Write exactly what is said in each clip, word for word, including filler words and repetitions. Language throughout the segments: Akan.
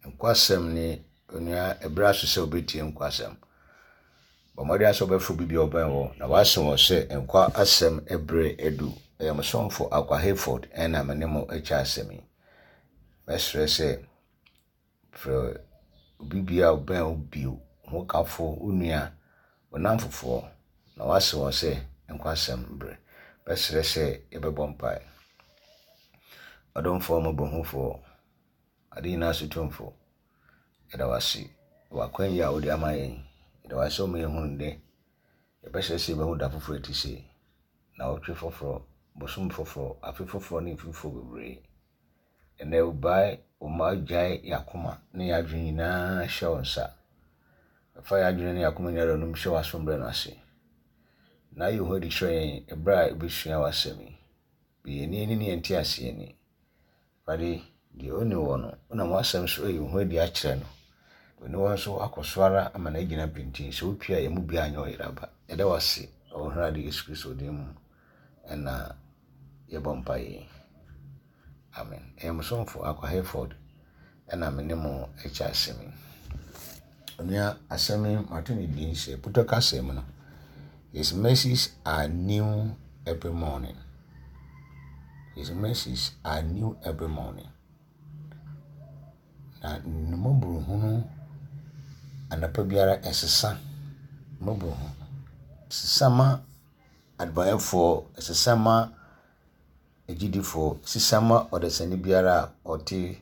Nkwa asɛm ni, onua, ɛberɛ aso sɛ wobɛtie nkwa asɛm. Bɔ mmɔden sɛ wobɛfrɛ obi bi a ɔbɛn wo na woase wɔ sɛ nkwa asɛm ɛberɛ adu. Ɛyɛ mo somfo Akwa Hayford ɛna me ne mo akyɛ asɛm yi. Mɛsrɛ sɛ frɛ obi bi a ɔbɛn wo bio, wo kafo, wo nua, wo namfofoɔ na woase wɔn sɛ nkwa asɛm berɛ. Mɛsrɛ sɛ yɛbɛbɔ mpae. Ɔdomfoɔ mmɔborɔhufoɔ, ade nyinaa so tumfo, yɛda wo ase wɔ akwan yi a wode ama yɛn. Yɛda wo ase sɛ woma yɛhunu nnɛ. Yɛbɛsrɛ sɛ yɛbɛhu da foforɔ ɛte sei, nnawɔtwe foforɔ, bosom foforɔ, afe foforɔ ne mfe foforɔ bebree. Ɛnnɛ wobae wo mma agyae yɛn akoma ne yɛn adwene nyinaa hyɛ wo nsa. Fa yɛn adwene ne yɛn akoma nyinaa nom hyɛ w'asomdwoe no ase. Na yi wo ho adi kyerɛ yɛn ɛberɛ a yɛbɛsua w'asɛm yi. Bue yɛn ani ne yɛn nteaseɛ ani. Awurade, deɛ ɔnni wɔ no, wonam w'asɛm so ayi wo ho adi akyerɛ no. Ɔne wɔn nso akɔ so ara ama no agyina pintinn. Sɛ wopue a yɛn mu biara nyɛ ɔyera ba. Yɛda wo ase wɔ Awurade Yesu Kristo din mu ɛna yɛbɔ mpaeɛ. Amen. Ɛyɛ mo somfo Akwa Hayford ɛna me ne mo akyɛ asɛm yi. Onua, asɛm yi mato ne din sɛ Putɔ kasa mu no, His mercies are new every morning. His mercies are new every morning. Na ne mmɔborɔhunu anɔpa biara ɛsesa. Mmɔborɔhunu ɛsesa ma adebɔneyɛfoɔ, ɛsesa ma agyidifoɔ, ɛsesa ma ɔdasani biara a ɔte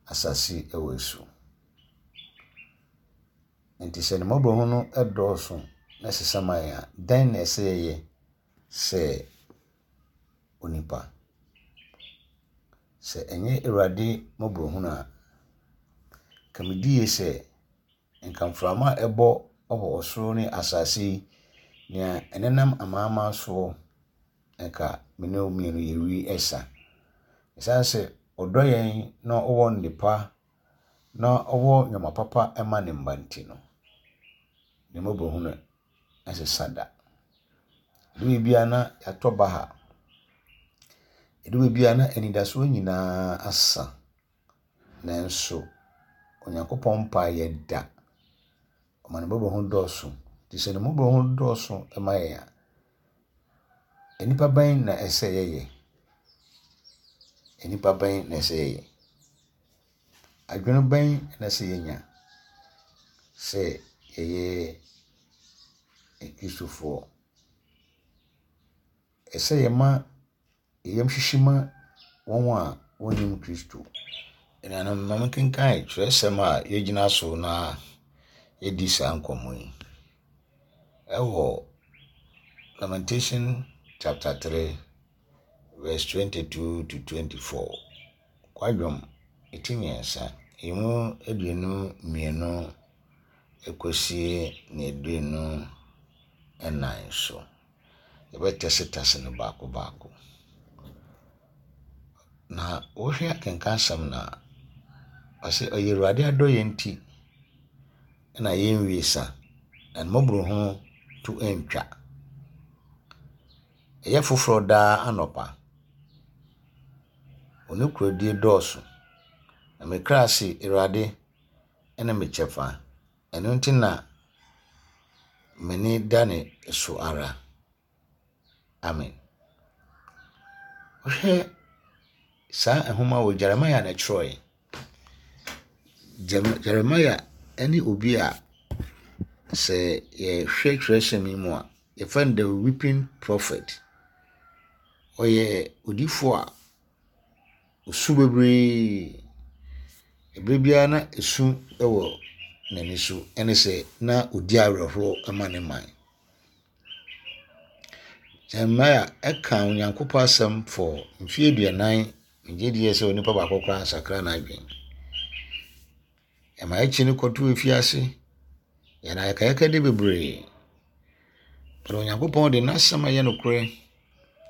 asase wɔ so. Nti sɛ ne mmɔborɔhunu dɔɔso na ɛsesa ma yɛn a, dɛn na ɛsɛ yɛyɛ sɛ onipa? Sɛ ɛnyɛ Awurade mmɔborɔhunu a, ka megye die sɛ nka mframa a ɛbɔ wɔ ɔsoro ne asase yi, nea ɛnenam amanaman soɔ, nka me ne wo mmienu yɛwi ɛsa. Ɛsiane sɛ ɔdɔ yɛn na ɔwɔ nnepa na ɔwɔ nneɛma papa ma ne mma nti no, ne mmɔborɔhunu ɛnsesa da. Ɛdu baabi a na yɛatɔ baha. Ɛdu baabi a na anidasoɔ nyinaa asa. Nanso Onyankopɔn mpa yɛ da. Ɔma ne mmɔborɔhunu dɔɔso. Nti sɛ ne mmɔborɔhunu dɔɔso ma yɛn a, nnipa bɛn na ɛsɛ yɛyɛ? Nnipa bɛn na ɛsɛ yɛyɛ? Adwene bɛn na ɛsɛ yɛnya sɛ yɛyɛ Akristofoɔ? Ɛsɛ yɛma yɛn hyehye ma wɔn a wɔnnim Kristo. Anuanom, ma menkenkan twerɛsɛm a yɛgyina so na yɛdi saa nkɔmmɔ yi. Ɛwɔ Lamentation chapter three verse twenty-two to twenty-four. Kwadwom eti mmiɛnsa, emu aduonu mmienu ekosi ne aduonu ɛnan so. Yɛbɛtɛsetɛse no baako baako. Na wohwɛ akenkan asɛm no a, ɔse ɔyɛ Awurade adɔeɛ nti ɛna yɛnwie sa, na ne mmɔborɔhunu to ntwa. Ɛyɛ foforɔ daa anɔpa. Wo nokorɛdie dɔɔso. Na me kra se, Awurade ɛne me kyɛfa. Ɛno nti na m'ani da ne so ara. Amen. Wohwɛ saa nhoma wɔ Jeremiah na ɛtwerɛeɛ. Jeremiah ɛne obi a sɛ yɛhwɛ twerɛsɛm yi mu a, yɛfrɛ no the weeping prophet. Ɔyɛ odiyifoɔ a osu bebree. Ɛberɛ biara na esu wɔ n'ani so ɛne sɛ na odi awerɛhoɔ ma ne man. Jeremiah ɛka Onyankopɔn asɛm for mfeɛ aduanan. Megye die sɛ onipa baako koraa nsakra n'adwene. Ɛma akyi no kɔtoo efiase. Yɛn ayɛkayɛkade bebree. But Onyankopɔn de n'asɛm a ɛyɛ nokorɛ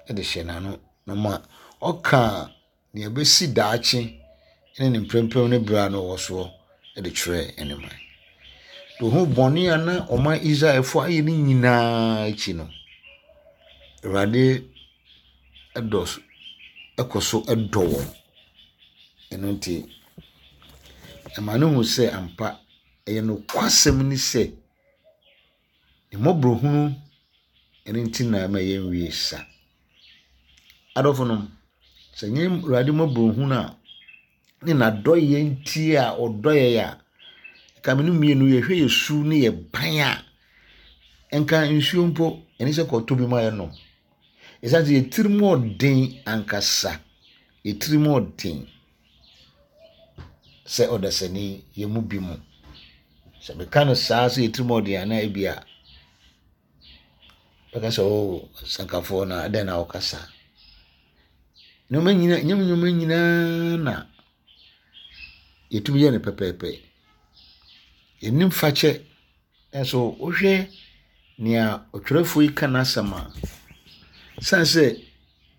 de hyɛ n'ano na ma ɔka nea ɛbɛsi daakye ne ne mprempren ne berɛ a na ɔwɔ soɔ de kyerɛɛ ne man. Ohun bɔne a na ɔman Israelfoɔ ayɛ ne nyinaa akyi no, Awurade ɛdɔ so ɛkɔ so ɛdɔ wɔn. Ɛno nti, Ɛma no hu sɛ ampa ɛyɛ nokwasɛm ni sɛ ne mmɔborɔhunu ɛno nti na ɛma yɛnwie sa. Adɔfo nom, sɛ nyɛ Awurade mmɔborɔhunu a ne n'adɔyɛ nti a ɔdɔ yɛn a, nka me no mmienu yɛhwɛ yɛ su ne yɛ ban a, nka nsuo mpo ɛne sɛ kɔtɔ bi ma yɛnom. Ɛsiane sɛ yɛ tirim ɔden ankasa, yɛ tirim ɔden sɛ ɔdasani yɛ mu bi mu. Sɛ meka no saa sɛ yɛ tirim ɔden anaa ebi a, bɛka sɛ o sankafoɔ na adɛn na wɔkasa. Nneɛma nyinaa, nyɛ nneɛma nyinaa na yɛtumi yɛ no pɛpɛɛpɛ. Yɛnim fakyɛ nso wohwɛ nea ɔtwerɛfoɔ yi ka n'asɛm a, san sɛ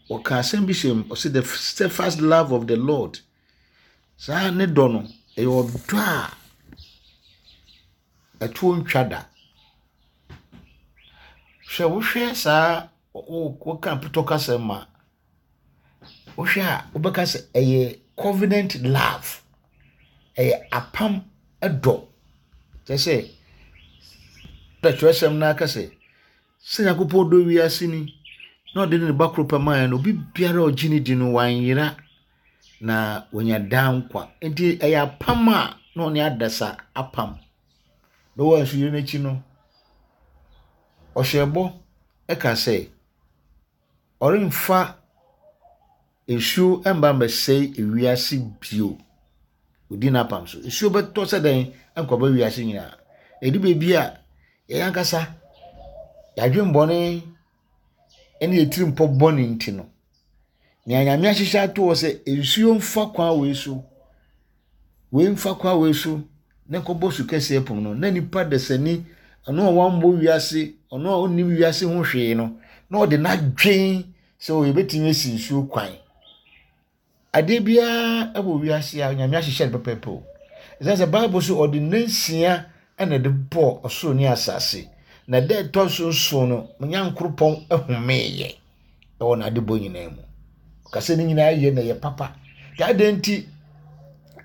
ɔka asɛm bi hyɛ mu, ɔsɛ the steadfast love of the Lord. Saa ne dɔ no, ɛyɛ ɔdɔ a ɛtoɔ ntwa da. Hwɛ wohwɛ saa woka potɔ kasɛm a, wohwɛ a wobɛka sɛ ɛyɛ covenant love. Ɛyɛ apam ɛdɔ. Kyerɛ sɛ, twerɛsɛm no aka sɛ, sɛ Nyankopɔn dɔ wiase ni, na ɔde ne ba koro pɛ maa yɛn no, obi biara a ɔgye ne di no wanyera na wanya daa nkwa. Nti ɛyɛ apam a na ɔne adasa apam. Na wɔn nsuyiri n'akyi no, ɔhyɛ bɔ ɛka sɛ, ɔremfa nsuo mba mmɛsɛe ewiase bio. Odi n'apam so. Nsuo bɛtɔ sɛ dɛn nkɔba wiase nyinaa. Ɛdu baabi a yɛn ankasa yɛadwen bɔne ne yɛ tirim pɔ bɔne nti no, nea Nyame ahyehyɛ ato hɔ sɛ nsuo mfa kwan wei so, wei mfa kwan wei so na nkɔbɔ su kɛseɛ pom no, na nipa dasani ɔno a wammɔ wiase, ɔno a ɔnnim wiase ho hwee no, na ɔde n'adwen sɛ ɔyɛbɛtumi asi nsuo kwan. Adeɛ biara wɔ wiase a Nyame ahyehyɛ no pɛpɛɛpɛ o. Ɛsiane sɛ Bible so ɔde nnansia ɛna ɛde bɔɔ ɔsoro ne asase. Na da ɛtɔ so nson no, Nyankoropɔn homeeɛ ɛwɔ n'adebɔ nyinaa mu. Ɔka ne nyinaa yɛ na ɛyɛ papa. Nti adɛn nti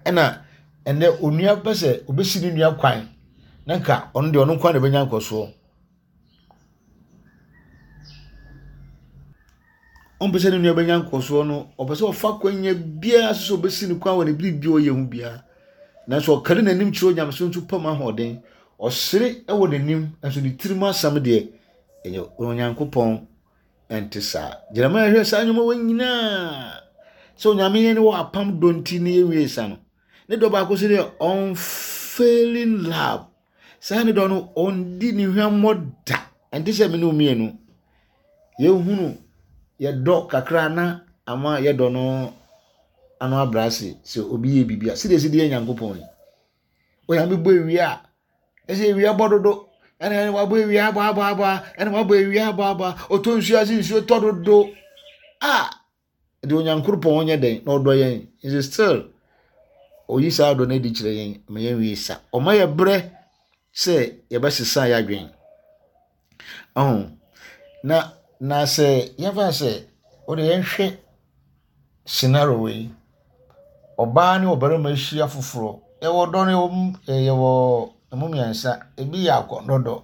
ɛna ɛnɛ onua pɛ sɛ obɛsi ne nua kwan na nka ɔno deɛ ɔno nko ara na ɛbɛnya nkɔsoɔ. Ɔmpɛ sɛ ne nua bɛnya nkɔsoɔ no, ɔpɛ sɛ ɔfa kwanya biara so sɛ ɔbɛsi ne kwan wɔ ne biribi a ɔyɛ ho biara. Nanso ɔkari n'anim kyerɛ Onyamesom nso pam ahoɔden. Ɔsere wɔ n'anim nso ne tirim asɛm deɛ ɛyɛ Onyankopɔn ɛnte saa. Jeremiah hwɛ saa nnwuma wɔ nyinaa sɛ Onyame yɛn wɔ apam dɔ nti ne yɛnwie sa no. Ne dɔ baako so deɛ unfailing love. Saa ne dɔ no ɔndi ne hwammɔ da. Ɛnte sɛ me ne wo mmienu. Yɛhunu yɛdɔ kakra na ama yɛdɔ no ano abrɛ ase sɛ obi yɛ biribi a sɛdeɛ ɛsi de yɛ Nyankopɔn yi. Onyame bɔ ewia a ɛsɛ ewia bɔ dodo ɛna ɛna wabɔ ewia abɔ abɔ abɔ ɛna wabɔ ewia abɔ abɔ ɔtɔ nsuo ase nsuo tɔ dodo a de Onyankopɔn nyɛ dɛn na ɔdɔ yɛn nso still oyi saa dɔ no adi kyerɛ yɛn ma yɛn wie sa. Ɔma yɛ brɛ sɛ yɛbɛsesa yɛ adwen. Ɔho na na sɛ yɛmfa sɛ wode yɛnhwɛ scenario wei, ɔbaa ne ɔbarima ahyia foforɔ. Yɛwɔ dɔ no yɛwɔ mu yɛwɔ emu mmiɛnsa. Ebi yɛ akɔnnɔ.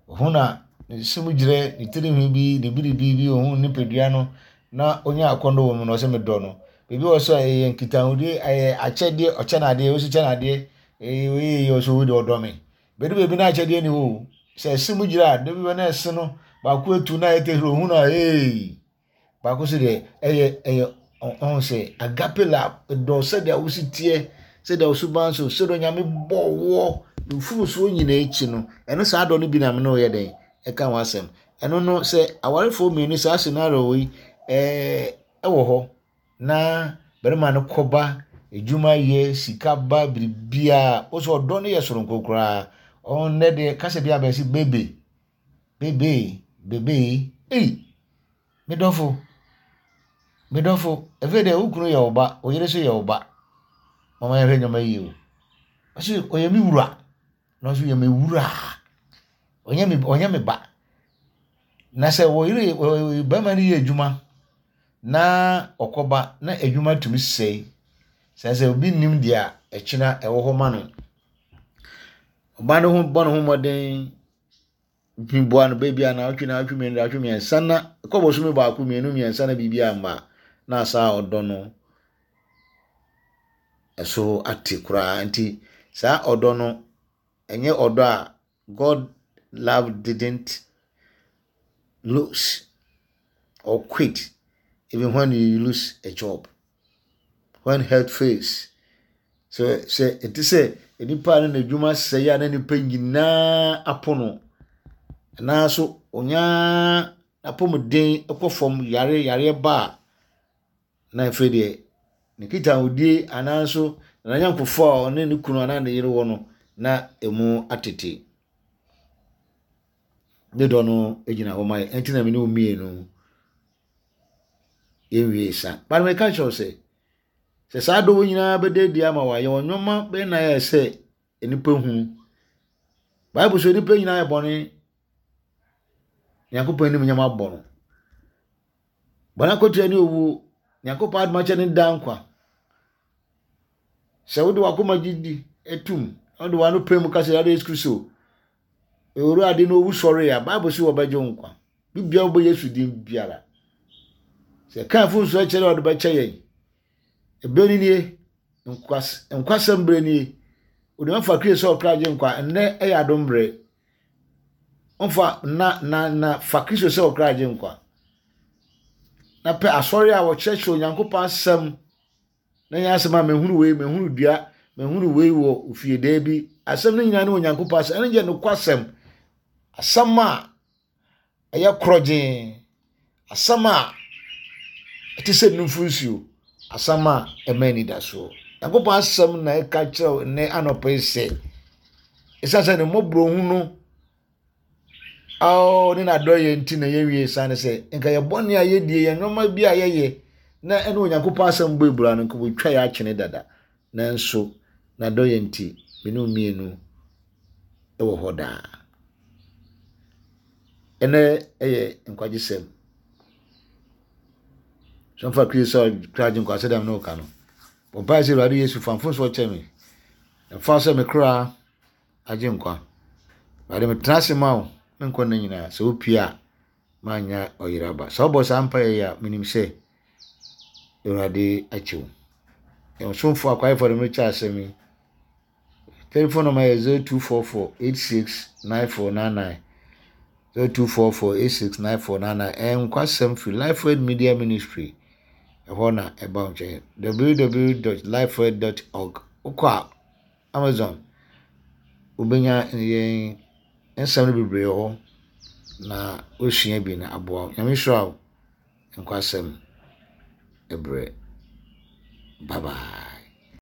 Ohun na ne nsam gyerɛ, ne tirinwi bi, ne biribi bi, ohun nipadua no na onya akɔnnɔ wɔ mu na ɔsɛ medɔ no. Ebi wɔ so a ɛyɛ nkitahodie, ɛyɛ akyɛdeɛ, ɔkyɛ n'adeɛ, osi kyɛ n'adeɛ, ɛyɛ wei yɛ ɔsɛ wei deɛ ɔdɔ me. Bɛdu baabi na akyɛdeɛ ni hɔ o. Sɛ ɛse mu gyerɛ a, da bi bɛ na ɛse no baako etu na ayɛ tehuru ohun na ee. Baako so deɛ ɛyɛ ɛyɛ ɔho sɛ agape love, dɔ sɛdeɛ wosi teɛ, sɛdeɛ wo suban so, sɛdeɛ Onyame bɔɔ woɔ, mfomsoɔ nyinaa akyi no, ɛno saa dɔ no bi na me ne wo yɛ dɛn ɛka ho asɛm. Ɛno no sɛ awarefoɔ mmienu saa scenario wei ɛɛ ɛwɔ hɔ na barima no kɔba edwuma yɛ sika ba biribiara wosɛ ɔdɔ no yɛ soronko koraa. Ɔnnɛ deɛ kasa bi abɛsi bebe bebe bebe ei me dɔfo me dɔfo ɛfɛ deɛ wo kunu yɛ wo ba, wo yere nso yɛ wo ba. Mama yɛhwɛ nneɛma yie o. Ɔsi ɔyɛ me wura na ɔso yɛ me wura. Ɔnyɛ me ɔnyɛ me ba. Na sɛ wɔ yere barima no yɛ adwuma na ɔkɔba na adwuma tumi sɛe. Sɛ sɛ obi nim deɛ ɛkyena ɛwɔ hɔ ma no. Ɔbaa no ho bɔ ne ho mmɔden ntumi boa no baabi a naawɔtwe naawɔtwe mmienu naawɔtwe mmiɛnsa na ɛkɔ bosome baako mmienu mmiɛnsa na biribi amma na saa ɔdɔ no ɛso ate koraa. Nti saa ɔdɔ no ɛnyɛ ɔdɔ a God love didn't lose or quit even when you lose a job, when health fails. So sɛ ɛte sɛ nipa no n'adwuma sɛe a na nipa nyinaa apo no, anaaso onyaa n'apɔmuden kɔ fam yare yare ba a, na afei deɛ ne nkitahodie anaaso n'anyɔnkofoɔ a ɔne ne kunu anaa ne yere wɔ no na emu atete. Ne dɔ no gyina hɔ ma yɛ. Ɛnti na me ne wo mmienu yɛnwie sa. But meka kyerɛ wo sɛ, sɛ saa dɔ wo nyinaa bɛda adi ama wo a, yɛwɔ nneɛma bɛyɛ na yɛ sɛ nnipa hunu. Bible sɛ nnipa nyinaa yɛ bɔne. Nyankopɔn anim nyama abɔ no. Bɔne akatua ne owuo. Nyankopɔn adom akyɛ ne daa nkwa. Sɛ wode w'akoma gye di etum, na wode w'ano pɛ mu ka sɛ Awurade Yesu Kristo, Owurade na owu sɔre a, Bible sɛ wɔbɛgye wo nkwa. Bibia wobɔ Yesu din biara. Sɛ ka mfomso akyerɛ a ɔde bɛkyɛ yɛn. Ebere ni nie, nkwas nkwasɛm bere nie. Wode mfa Kristo sɛ ɔkra gye nkwa. Nnɛ ɛyɛ adom bere. Mfa na na na fa Kristo sɛ ɔkra gye nkwa. Na pɛ asɔre a wɔkyerɛkyerɛ Onyankopɔn asɛm na nyɛ asɛm a mehunu wei, mehunu dua, mehunu wei wɔ ofie daa bi. Asɛm no nyinaa ne Onyankopɔn asɛm. Ɛno yɛ nokwasɛm. Asɛm a ɛyɛ korɔgyee. Asɛm a ɛte sɛ nufu nsuo. Asɛm a ɛma anidasoɔ. Nyankopɔn asɛm na ɛka kyerɛ wo nnɛ anɔpa yi sɛ, ɛsiane sɛ ne mmɔborɔhu no ao ne n'adɔyɛ nti na yɛnwie sane sɛ nka yɛ bɔne a yɛdie, yɛn nneɛma bi a yɛyɛ na ɛne Onyankopɔn asɛm bɔ ebura no, nka wɔtwa yɛ akyene dada. Nanso n'adɔyɛ nti, me ne wo mmienu ɛwɔ hɔ daa. Ɛnɛ ɛyɛ nkwagyesɛm. Sɛ mfa Kristo sɛ ɔkra gye nkwa sɛdeɛ me ne wo ka no. Bɔ mpaeɛ sɛ Awurade Yesu fa mfomsoɔ kyɛ me. Na fa sɛ me kra agye nkwa. Awurade metena ase ma wo me nkwa nna nyinaa. Sɛ wopie a, manya ɔyere aba. Sɛ wobɔ saa mpaeɛ yi a, menim sɛ Awurade akyɛ wo. Yɛn somfo akwaefoɔ de mekyɛ asɛm yi. Telephone number yɛ zero two four four eight six nine four nine nine. zero two four four eight six nine four nine nine. Ɛyɛ nkwasɛm firi Lifeword Media Ministry. Ɛhɔ na ɛba wo nkyɛn. www dot lifeword dot org. Wokɔ a Amazon wobɛnya yɛn nsɛm no bebree wɔ hɔ na wosua bi na aboa wo. Nyame nhyira wo. Nkwasɛm ɛbrɛ. Bye bye.